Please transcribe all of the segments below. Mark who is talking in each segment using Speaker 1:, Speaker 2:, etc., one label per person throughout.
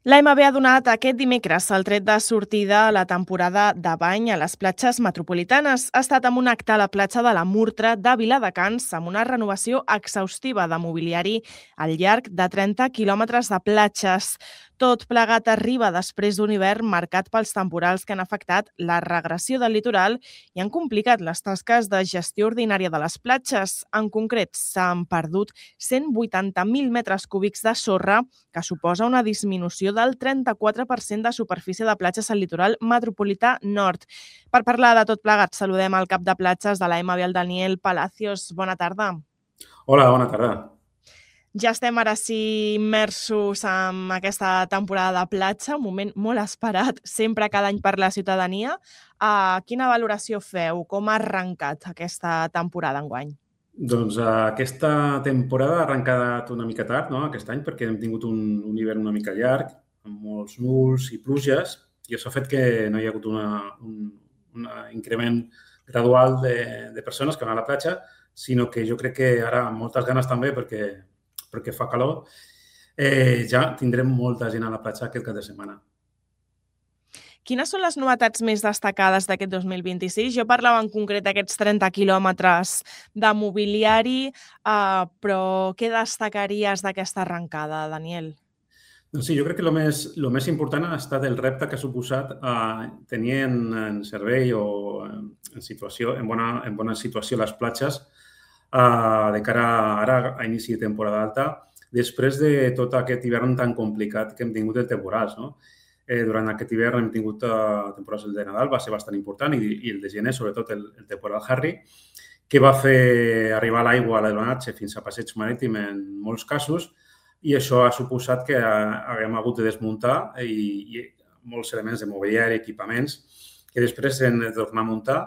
Speaker 1: L'AMB ha donat aquest dimecres el tret de sortida a la temporada de bany a les platges metropolitanes. Ha estat amb un acte a la platja de la Murtra de Viladecans amb una renovació exhaustiva de mobiliari al llarg de 30 quilòmetres de platges. Tot plegat arriba després d'un hivern marcat pels temporals que han afectat la regressió del litoral i han complicat les tasques de gestió ordinària de les platges. En concret, s'han perdut 180.000 metres cúbics de sorra, que suposa una disminució del 34% de superfície de platges al litoral metropolità nord. Per parlar de tot plegat, saludem el cap de platges de l'AMB, el Daniel Palacios. Bona tarda.
Speaker 2: Hola, bona tarda.
Speaker 1: Ja estem ara sí immersos en aquesta temporada de platja, un moment molt esperat sempre cada any per la ciutadania. Quina valoració feu? Com ha arrencat aquesta temporada enguany?
Speaker 2: Doncs aquesta temporada ha arrencat una mica tard, no?, aquest any, perquè hem tingut un hivern una mica llarg, amb molts núvols i pluges, i això ha fet que no hi ha hagut un increment gradual de persones que van a la platja, sinó que jo crec que ara, amb moltes ganes també, perquè fa calor, ja tindrem molta gent a la platja aquest cap de setmana.
Speaker 1: Quines són les novetats més destacades d'aquest 2026? Jo parlava en concret d'aquests 30 quilòmetres de mobiliari, però què destacaries d'aquesta arrencada, Daniel?
Speaker 2: Doncs sí, jo crec que el més important ha estat el repte que ha suposat tenir en servei o en bona situació les platges de cara ara a inici de temporada alta, després de tot aquest hivern tan complicat que hem tingut de temporals, no? Durant aquest hivern hem tingut temporals, el de Nadal va ser bastant important i el de gener, sobretot el temporal Harry, que va fer arribar l'aigua a l'Elbanatge fins a Passeig Marítim en molts casos, i això ha suposat que haguem hagut de desmuntar i molts elements de mobiliari, equipaments, que després hem de tornar a muntar.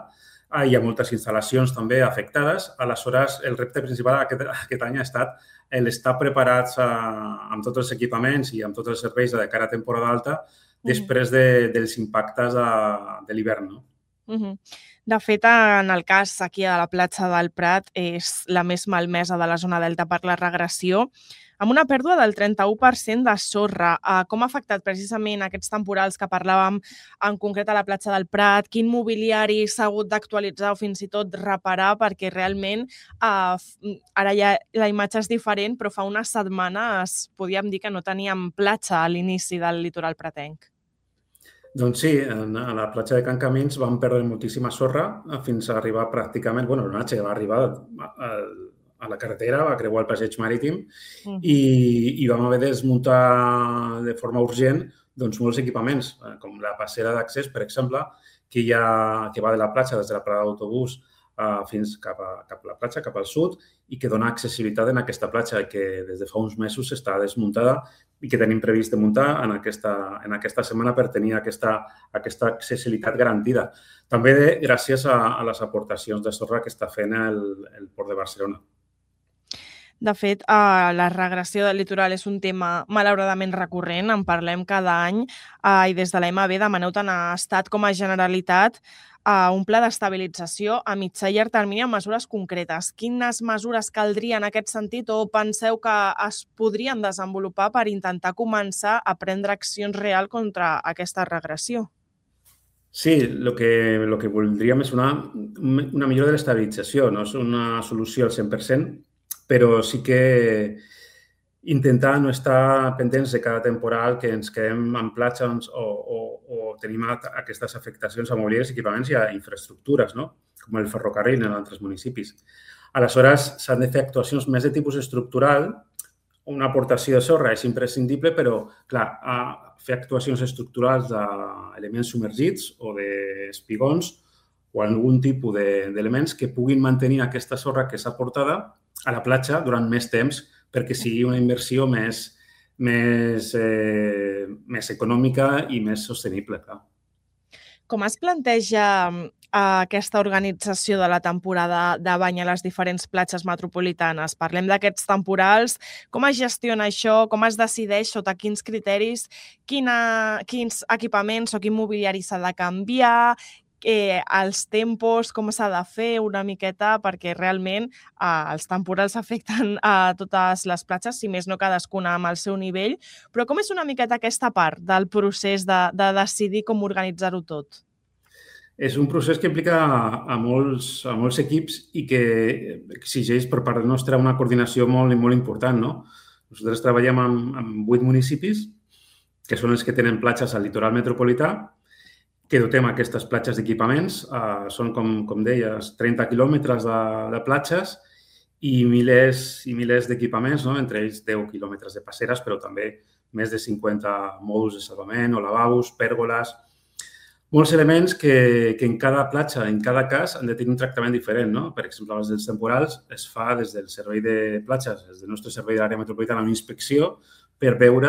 Speaker 2: Hi ha moltes instal·lacions també afectades. Aleshores, el repte principal aquest any ha estat l'estar preparats amb tots els equipaments i amb tots els serveis de cara a temporada alta després dels impactes de l'hivern, no?
Speaker 1: De fet, en el cas aquí a la platja del Prat, és la més malmesa de la zona delta per la regressió, amb una pèrdua del 31% de sorra. Com ha afectat precisament aquests temporals que parlàvem en concret a la platja del Prat? Quin mobiliari s'ha hagut d'actualitzar o fins i tot reparar? Perquè realment ara ja la imatge és diferent, però fa unes setmanes podíem dir que no teníem platja a l'inici del litoral pratenc.
Speaker 2: Doncs sí, a la platja de Can Camins vam perdre moltíssima sorra fins a arribar pràcticament, l'onatge va arribar a la carretera, va creuar el passeig marítim i vam haver de desmuntar de forma urgent molts equipaments, com la passera d'accés, per exemple, que va de la platja, des de la parada d'autobús fins cap a la platja, cap al sud, i que dona accessibilitat en aquesta platja que des de fa uns mesos està desmuntada i que tenim previst de muntar en aquesta setmana per tenir aquesta accessibilitat garantida. També gràcies a les aportacions de sorra que està fent el Port de Barcelona.
Speaker 1: De fet, la regressió del litoral és un tema malauradament recurrent, en parlem cada any i des de l'AMB demaneu tant a Estat com a Generalitat un pla d'estabilització a mitjà i llarg termini amb mesures concretes. Quines mesures caldria en aquest sentit o penseu que es podrien desenvolupar per intentar començar a prendre accions reals contra aquesta regressió?
Speaker 2: Sí, el que voldríem és una millora de l'estabilització. No és una solució al 100%, però sí que intentar no estar pendents de cada temporal que ens quedem en platja o tenim aquestes afectacions a mobiliaris, equipaments i a infraestructures, no?, com el ferrocarril en altres municipis. Aleshores, s'han de fer actuacions més de tipus estructural. Una aportació de sorra és imprescindible, però, clar, fer actuacions estructurals d'elements submergits o d'espigons o algun tipus d'elements que puguin mantenir aquesta sorra que s'ha aportada a la platja durant més temps perquè sigui una inversió més econòmica i més sostenible, clar.
Speaker 1: Com es planteja aquesta organització de la temporada de bany a les diferents platges metropolitanes? Parlem d'aquests temporals, com es gestiona això, com es decideix, sota quins criteris, quins equipaments o quin mobiliari s'ha de canviar, els tempos, com s'ha de fer una miqueta, perquè realment els temporals afecten a totes les platges, si més no cadascuna amb el seu nivell, però com és una miqueta aquesta part del procés de decidir com organitzar-ho tot?
Speaker 2: És un procés que implica a molts equips i que exigeix per part nostra una coordinació molt important, no? Nosaltres treballem amb 8 municipis, que són els que tenen platges al litoral metropolità, que dotem aquestes platges d'equipaments. Són, com deies, 30 quilòmetres de platges i milers d'equipaments, no? Entre ells 10 quilòmetres de passeres, però també més de 50 mòduls de salvament o lavabos, pèrgoles. Molts elements que en cada platja, en cada cas, han de tenir un tractament diferent, no? Per exemple, els dels temporals es fa des del servei de platges, des del nostre servei de l'àrea metropolitana, una inspecció per veure,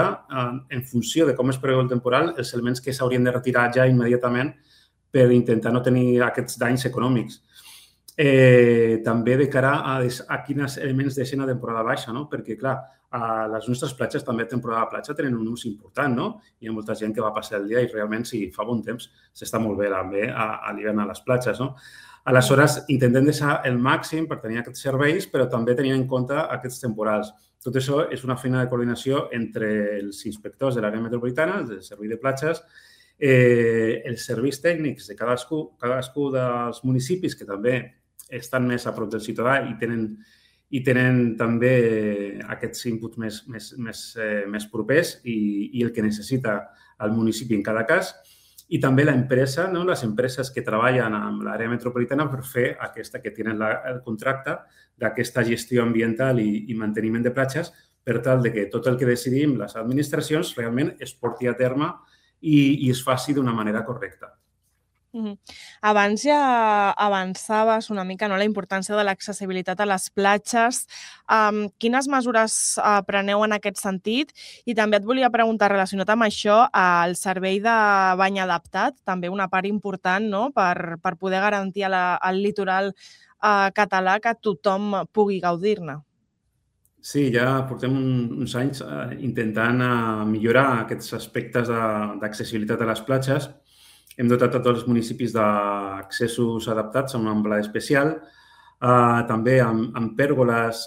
Speaker 2: en funció de com es preveu el temporal, els elements que s'haurien de retirar ja immediatament per intentar no tenir aquests danys econòmics. També de cara a quins elements deixen a temporada baixa, no? Perquè, clar, les nostres platges també a temporada de platja tenen un ús important, no? Hi ha molta gent que va passar el dia i realment, si fa bon temps, s'està molt bé també a l'hivern a les platges, no? Aleshores, intentem deixar el màxim per tenir aquests serveis, però també tenint en compte aquests temporals. Tot això és una feina de coordinació entre els inspectors de l'àrea metropolitana, del servei de platges, els serveis tècnics de cadascú dels municipis, que també estan més a prop del ciutadà i tenen també aquests inputs més propers i el que necessita el municipi en cada cas. I també l'empresa, no? Les empreses que treballen amb l'àrea metropolitana per fer que tenen el contracte d'aquesta gestió ambiental i manteniment de platges per tal de que tot el que decidim les administracions realment es porti a terme i es faci d'una manera correcta.
Speaker 1: Abans ja avançaves una mica, no, la importància de l'accessibilitat a les platges. Quines mesures preneu en aquest sentit? I també et volia preguntar, relacionat amb això, el servei de bany adaptat, també una part important, no?, per poder garantir al litoral català que tothom pugui gaudir-ne.
Speaker 2: Sí, ja portem uns anys intentant millorar aquests aspectes d'accessibilitat a les platges. Hem dotat a tots els municipis d'accessos adaptats amb una amplada especial, també amb pèrgoles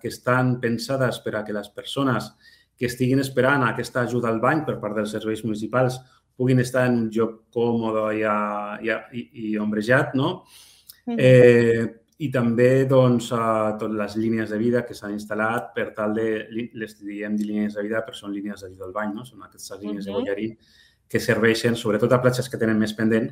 Speaker 2: que estan pensades per a que les persones que estiguin esperant aquesta ajuda al bany per part dels serveis municipals puguin estar en un lloc còmode i ombrejat, no? I també totes les línies de vida que s'han instal·lat per tal de, les diem línies de vida, però són línies d'ajuda al bany, no? Són aquestes línies de boiarí que serveixen, sobretot a platges que tenen més pendent,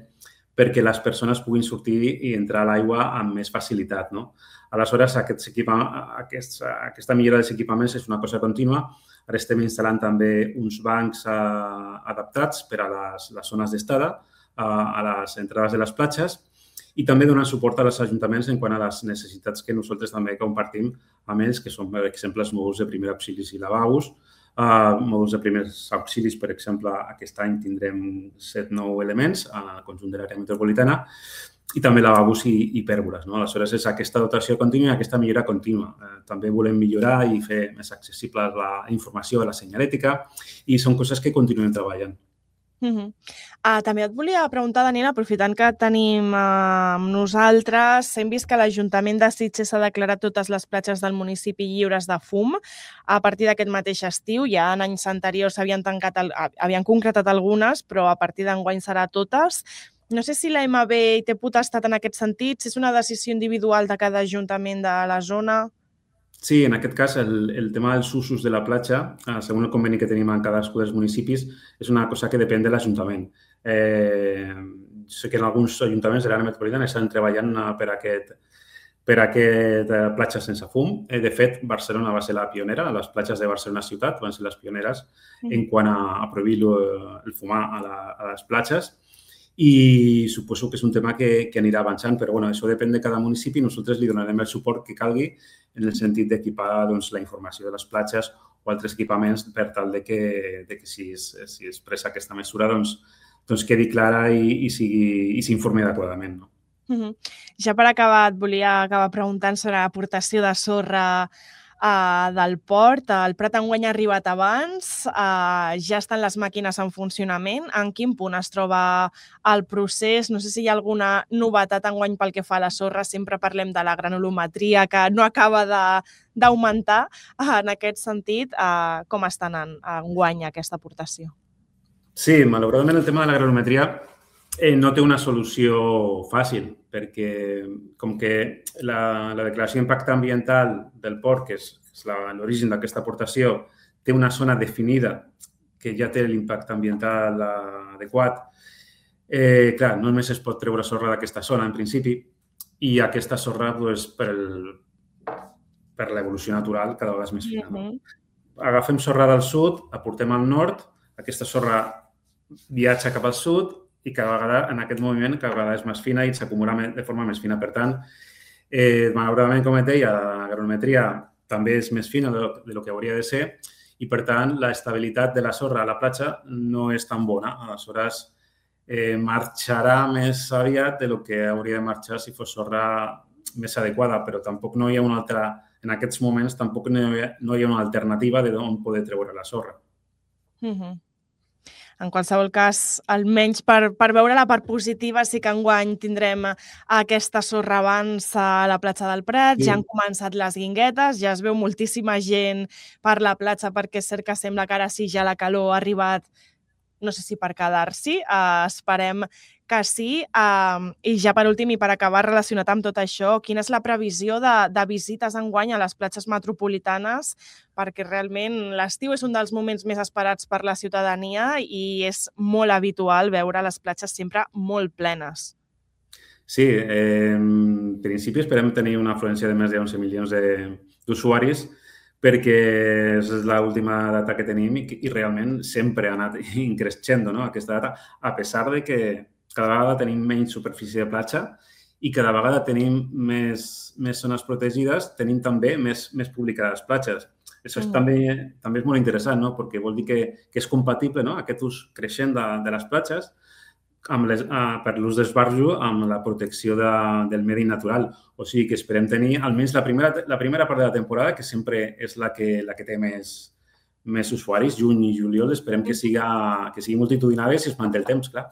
Speaker 2: perquè les persones puguin sortir i entrar a l'aigua amb més facilitat, no? Aleshores, aquesta millora dels equipaments és una cosa contínua. Ara estem instal·lant també uns bancs adaptats per a les zones d'estada, a les entrades de les platges, i també donant suport als ajuntaments en quant a les necessitats que nosaltres també compartim amb ells, que són, per exemple, els mòduls de primers auxilis i lavabos, mòduls de primers auxilis, per exemple, aquest any tindrem 7-9 elements al conjunt de l'àrea metropolitana i també lavabos i pèrgoles, no? Aleshores, és aquesta dotació contínua i aquesta millora contínua. També volem millorar i fer més accessible la informació de la senyalètica i són coses que continuem treballant.
Speaker 1: També et volia preguntar, Daniel, aprofitant que tenim amb nosaltres, hem vist que l'Ajuntament de Sitges ha declarat totes les platges del municipi lliures de fum a partir d'aquest mateix estiu. Ja en anys anteriors havien concretat algunes, però a partir d'enguany serà totes. No sé si la MB hi té potestat en aquest sentit, si és una decisió individual de cada ajuntament de la zona.
Speaker 2: Sí, en aquest cas, el tema dels usos de la platja, segons el conveni que tenim en cadascú dels municipis, és una cosa que depèn de l'Ajuntament. Sé que en alguns ajuntaments de l'àrea metropolitana estan treballant per aquest platja sense fum. De fet, Barcelona va ser la pionera, les platges de Barcelona ciutat van ser les pioneres en quant a prohibir el fumar a les platges. I suposo que és un tema que anirà avançant, però bueno, això depèn de cada municipi i nosaltres li donarem el suport que calgui en el sentit d'equipar la informació de les platges o altres equipaments per tal de que si es presa aquesta mesura doncs quedi clara i s'informi adequadament, no?
Speaker 1: Ja per acabar, et volia acabar preguntant sobre l'aportació de sorra del port. El Prat enguany ha arribat abans, ja estan les màquines en funcionament. En quin punt es troba el procés? No sé si hi ha alguna novetat enguany pel que fa a la sorra. Sempre parlem de la granulometria, que no acaba d'augmentar. En aquest sentit, com estan enguany aquesta aportació?
Speaker 2: Sí, malauradament el tema de la granulometria no té una solució fàcil, perquè com que la declaració d'impacte ambiental del port, que és l'origen d'aquesta aportació, té una zona definida que ja té l'impacte ambiental adequat, clar, no només es pot treure sorra d'aquesta zona, en principi, i aquesta sorra, per l'evolució natural, cada vegada és més fina. Agafem sorra del sud, aportem al nord, aquesta sorra viatja cap al sud i cada vegada, en aquest moviment, cada vegada és més fina i s'acumula de forma més fina. Per tant, malauradament, com et deia, la granulometria també és més fina del que hauria de ser i, per tant, l'estabilitat de la sorra a la platja no és tan bona. Aleshores, marxarà més aviat del que hauria de marxar si fos sorra més adequada, però tampoc no hi ha una altra, en aquests moments, tampoc no hi ha una alternativa d'on poder treure la sorra.
Speaker 1: En qualsevol cas, almenys per veure la part positiva, sí que enguany tindrem aquesta sorra abans a la platja del Prat, ja han començat les guinguetes, ja es veu moltíssima gent per la platja perquè és cert que sembla que ara sí ja la calor ha arribat, no sé si per quedar-s'hi, esperem que sí. I ja per últim i per acabar relacionat amb tot això, quina és la previsió de visites enguany a les platges metropolitanes? Perquè realment l'estiu és un dels moments més esperats per la ciutadania i és molt habitual veure les platges sempre molt plenes.
Speaker 2: Sí, en principi esperem tenir una afluència de més de 11 milions d'usuaris perquè és l'última data que tenim i realment sempre ha anat increixent aquesta data, a pesar de que cada vegada tenim menys superfície de platja i cada vegada tenim més zones protegides, tenim també més públic a les platges. Això també és molt interessant, perquè vol dir que és compatible aquest ús creixent de les platges per l'ús d'esbarjo amb la protecció del medi natural. O sigui que esperem tenir almenys la primera part de la temporada, que sempre és la que té més usuaris, juny i juliol, esperem que sigui multitudinària si es manté el temps, clar.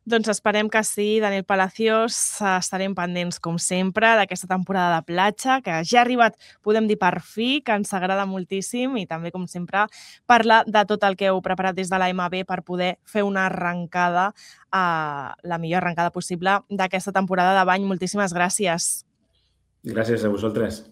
Speaker 1: Doncs esperem que sí, Daniel Palacios. Estarem pendents, com sempre, d'aquesta temporada de platja, que ja ha arribat, podem dir, per fi, que ens agrada moltíssim i també, com sempre, parlar de tot el que heu preparat des de l'AMB per poder fer una arrencada, la millor arrencada possible d'aquesta temporada de bany. Moltíssimes gràcies.
Speaker 2: Gràcies a vosaltres.